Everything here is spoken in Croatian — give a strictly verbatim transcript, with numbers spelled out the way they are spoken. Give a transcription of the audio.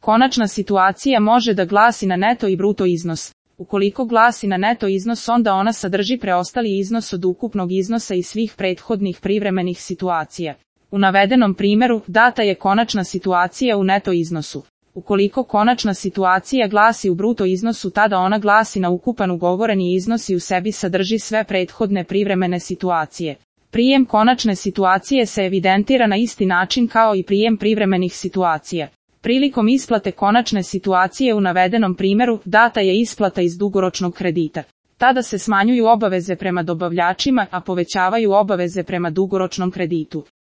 Konačna situacija može da glasi na neto i bruto iznos. Ukoliko glasi na neto iznos, onda ona sadrži preostali iznos od ukupnog iznosa i svih prethodnih privremenih situacija. U navedenom primjeru, data je konačna situacija u neto iznosu. Ukoliko konačna situacija glasi u bruto iznosu, tada ona glasi na ukupan ugovoreni iznos i u sebi sadrži sve prethodne privremene situacije. Prijem konačne situacije se evidentira na isti način kao i prijem privremenih situacija. Prilikom isplate konačne situacije u navedenom primjeru, data je isplata iz dugoročnog kredita. Tada se smanjuju obaveze prema dobavljačima, a povećavaju obaveze prema dugoročnom kreditu.